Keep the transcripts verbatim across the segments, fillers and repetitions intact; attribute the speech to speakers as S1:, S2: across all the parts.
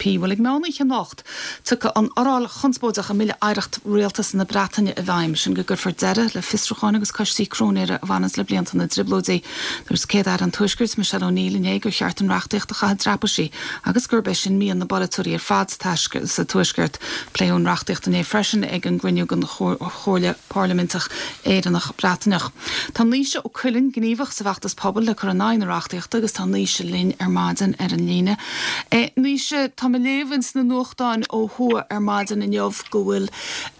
S1: D U P. Bhuel, ag meán oíche anocht, tiocfaidh an fhoráil chonspóideach i mBille Oidhreacht Rialtas na Breataine i bhfeidhm, sin go gcuirfear deireadh le fiosrúcháin agus coistí cróinéara a bhaineanns le blianta na dTrioblóidí. Dúirt Céad-Aire an Tuaiscirt, Michelle O'Neill, inné gur cheart an reachtaíocht a chaitheamh i dtraipisí agus gurb é sin mian na bpolaiteoirí ar fad sa Tuaisceart. Pléadh an reachtaíocht inné freisin ag an gcruinniú den Chomhairle Parlaiminteach Éireannach Breataineach. Tá Naoise Ó Cuilinn gníomhach sa bhfeachtas pobail le cur in aghaidh na reachtaíochta agus tá Naoise linn ar maidin ar an líne. E, Naoise, tá mé ag léamh ins na nuachtáin ó thuaidh ar maidin inniu go bhfuil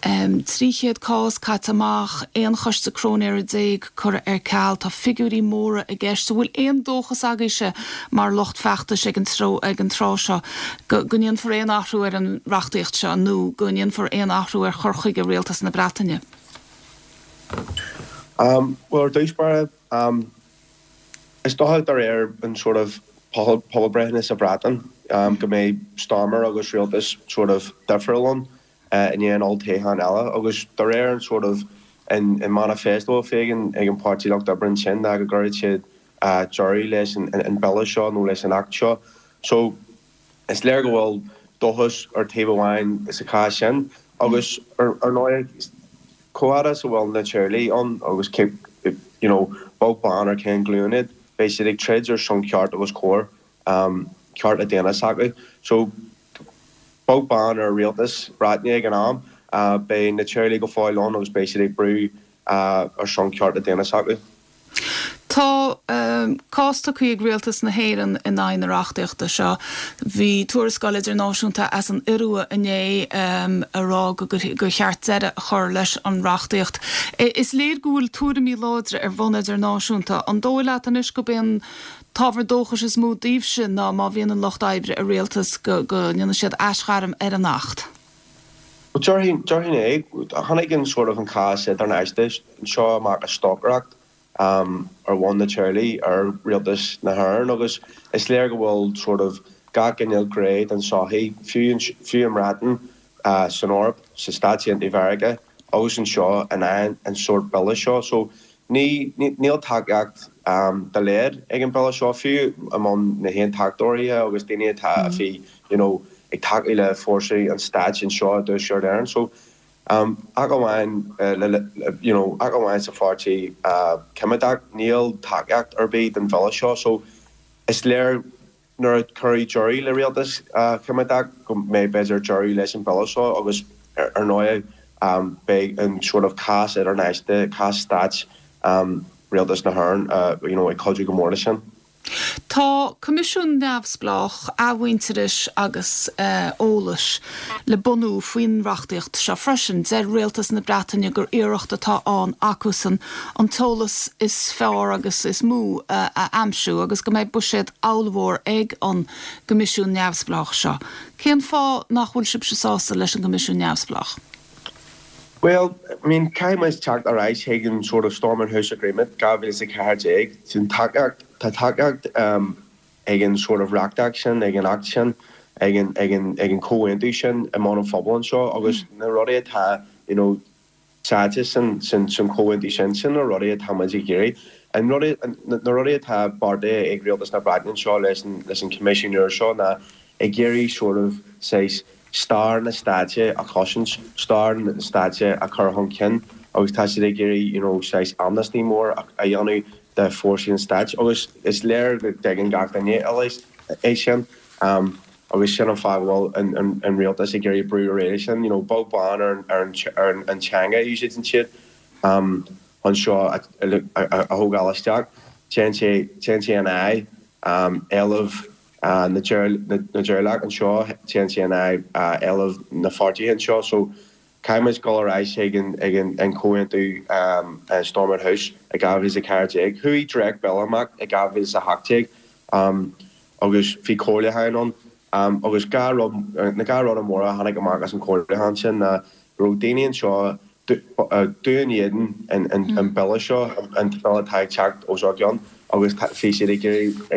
S1: um, trí chéad cás caite amach, aon choiste cróinéara déag curtha ar ceal, tá figiúirí móra i gceist, bhfuil aon dóchas agaibhse mar lucht feachtais ag an tró ag an tráth seo go go ndéanfar aon athrú ar an reachtaíocht seo nó go ndéanfar aon athrú ar chur chuige rialtas na Breataine?
S2: Um, well, ar dtús báire, um, is dócha de réir an sort of pobalbhreitheanna sa Bhreatain um, go mbeidh Starmer agus rialtas sort of difriúil ann uh, in aon olltoghchán eile agus de réir an sort of an, an manifesto a bhí ag an ag an Páirtí Lucht Oibre sin ná go gcuirfidh siad uh, deireadh leis an, an, an bille seo nó leis an act seo. So is léir go bhfuil dóchas ar taobh amháin sa chás sin agus ar ar ndóigh chomh fada is a bhfuil na teaghlaigh ann agus you know, beag beann ar cén glúin iad, beidh siad ag troid ar son ceart agus cóir um, ceart a daonna s'acu. So beag beann ar rialtas Breataine ag an am, uh, beidh na teaghlaigh go fóill ann agus beidh siad ag brú uh, ar son ceart a daonna s'acu.
S1: Tá um, cás tugtha ag rialtas na hÉireann in aghaidh na reachtaíochta seo. Bhí tuarascáil idirnáisiúnta as an Iorua inné um, ag rá go gur cheart deireadh a chur leis an reachtaíocht. Is léir go bhfuil tuairimí láidre ar bhonn idirnáisiúnta. An dóigh leat anois gurb é an t-ábhar dóchais is mó daoibhse ná má bhíonn an lucht oibre i rialtas go go ndéanfaidh siad aisghairm ar an acht.
S2: Déarfainn é tháinig an sort of an cás idirnáisiúnta seo amach a stocaireacht um, ar bhonn na teaghlaigh ar rialtas na hÉireann agus is léir go bhfuil sort of gach cineál gné den tsochaí fiú fiú an mBreatain uh, san Eoraip sa Stáit Aontaithe Mheiriceá agus anseo in aghaidh an sort bille seo so ní níl tacaíocht um, dá laghad ag an bille seo fiú among na haontachtóirí agus daoine atá a bhí you know, ag tacú le fórsaí an stáit anseo i dTuaisceart Éireann so um, ach amháin uh, le, le, you know, ach amháin sa pháirtí uh, Coimeádach níl tacaíocht ar bith den bhille seo so is léir nuair a cuireadh deireadh le rialtas uh, Coimeádach go mbeidh b'fhéidir deireadh leis an bhille seo agus ar, ar ndóigh um, beidh an sort of cás idirnáisiúnta cás stáit um, rialtas na hÉireann uh, you know, ag cuidiú go mór leis sin.
S1: Tá coimisiún neamhspleách athmhuintearais agus uh, eolais le bunú faoin reachtaíocht seo freisin deir rialtas na Breataine gur iarracht atá ann acusan an t-eolas is fearr agus is mó uh, a aimsiú agus go mbeidh buiséad ollmhór ag an gcoimisiún neamhspleách seo. Cén fáth nach bhfuil sibh sásta leis an gcoimisiún neamhspleách?
S2: Well, I mean, caithfidh teacht ar ais chuig an sort of Stormont House Agreement dhá mhíle is a ceathair déag sin tacaíocht tá tacaíocht um, ag an sort of reachtaíocht sin ag an act sin ag an ag an ag an comhaontú sin i mbun an phobail seo agus mm. na rudaí atá you know, sáite sin sin sin comhaontú sin sin na rudaí atá muid ag iarraidh. An rudaí na rudaí atá beartaithe ag rialtas na Breataine seo leis an leis an Coimisiún seo ná ag iarraidh sort of saghas stair na stáite a chosaint stair na stáite a chur chun cinn agus tá siad ag iarraidh you know, saghas amnesty mór a dhéanamh de fórsaí an stáit agus is léir go dtuigeann gach duine eile é sin um, agus sin an fáth go bhfuil an, an, an rialtas ag iarraidh brú ar sin you know, beag beann ar, ar, ar an teanga úsáideann siad um, anseo a, a, a, a thógáil isteach téann sé téann sé in aghaidh um, éileamh uh, na dteaghlach anseo téann sé in aghaidh uh, éileamh na pháirtithe anseo so caithfimid dul ar ais ag an ag an an comhaontú um, Stormont House ag dhá mhíle a ceathair déag. Chuaigh dréacht bille amach ag dhá mhíle a hocht déag um, agus bhí comhairliúchán ann um, agus dhá rud na dhá rud móra tháinig amach as an comhairliúchán sin na raibh daoine anseo dubh in éadan an an bille seo an bille atá ag teacht os ár gcionn agus bhí siad ag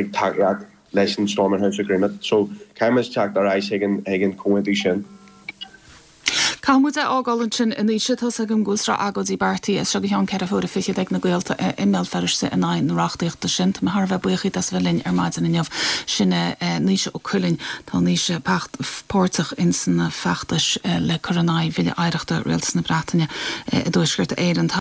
S2: ag tacaíocht leis an Stormont House Agreement. So caithfimid teacht ar ais ag an ag an comhaontú sin.
S1: Caithfidh muid é a fhágáil ansin a Naoise tá's agam go bhfuil sraith agóidí beartaithe as seo go ceann ceithre huaire fichead ag na gaolta i mBéal Feirste in aghaidh na reachtaíochta sin. Tá mé thar a bheith buíoch díot as a bheith linn ar maidin inniu sin Naoise Ó Cuilinn tá Naoise páirteach in sna feachtais le cur in aghaidh Bhille Oidhreachta Rialtas na Breataine i dTuaisceart Éireann.